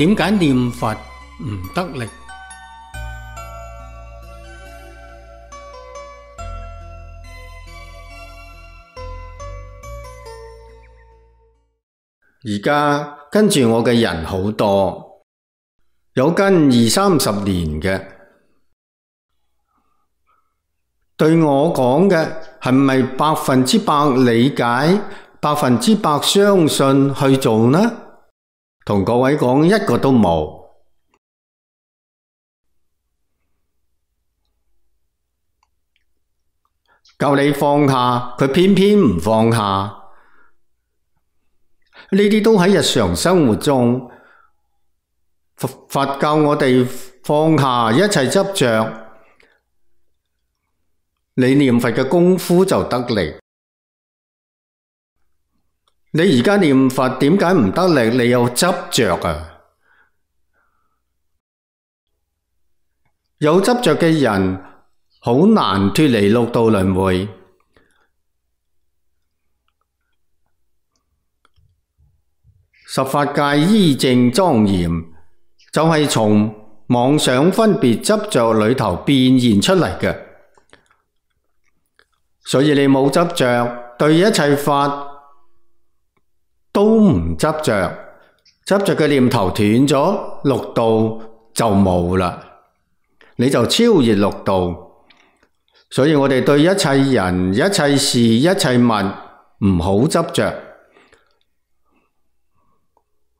點解念佛唔得力？而家跟住我嘅人好多，有跟20-30年嘅，對我講嘅係咪100%理解、100%相信去做呢？同各位講，一個都冇。教你放下，佢偏偏唔放下。呢啲都喺日常生活中，佛教我哋放下一切執着，你念佛嘅功夫就得力。你而家念佛點解唔得力？你有執着啊！有執着嘅人好難脫離六道輪迴。十法界依正莊嚴，就係從妄想分別執着裏頭變現出嚟嘅。所以你冇執着，對一切法都唔執着，執着嘅念頭斷咗，六道就冇啦，你就超越六道。所以我哋對一切人、一切事、一切物唔好執着。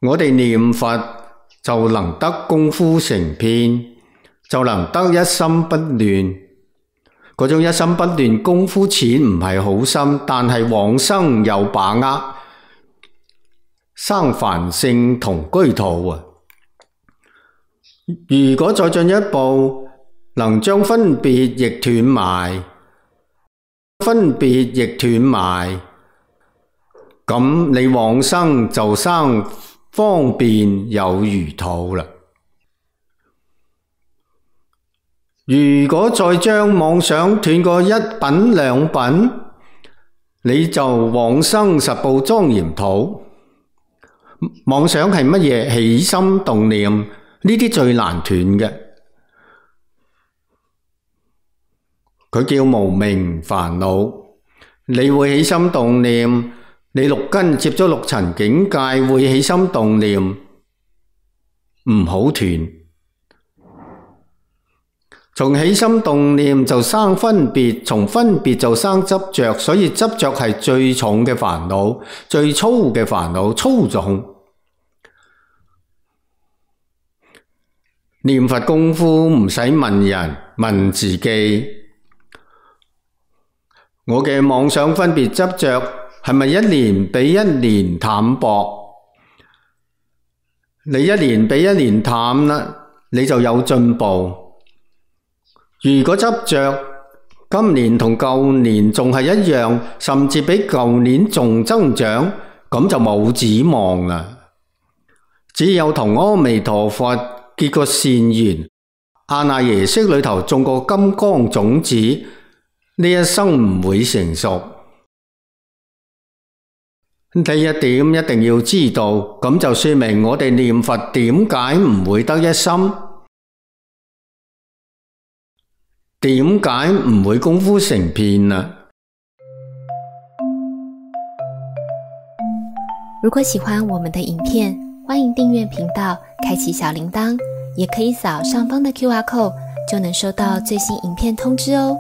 我哋念佛就能得功夫成片，就能得一心不亂。嗰種一心不亂功夫淺唔係好深，但係往生有把握，生梵性同居土啊！如果再進一步，能將分別亦斷埋，咁你往生就生方便有餘土啦。如果再將妄想斷過一品兩品，你就往生十部莊嚴土。妄想係乜嘢？起心動念，呢啲最難斷嘅。佢叫無明煩惱。你會起心動念，你六根接咗六塵境界，會起心動念，唔好斷。從起心動念就生分別，從分別就生執着，所以執着係最重嘅煩惱，最粗嘅煩惱，粗重。念佛功夫唔使問人，問自己。我嘅妄想分別執着係咪一年比一年淡薄？你一年比一年淡啦，你就有進步。如果執着今年同舊年仲係一樣，甚至比舊年仲增長，咁就冇指望啦。只有同阿彌陀佛結個善緣，阿賴耶識裏頭種個金剛種子，呢一生唔會成熟。呢一點一定要知道，咁就說明我哋念佛點解唔會得一心，點解唔會功夫成片啊？如果喜歡我們的影片，歡迎訂閱頻道，開啟小鈴鐺，也可以掃上方的QR code，就能收到最新影片通知哦。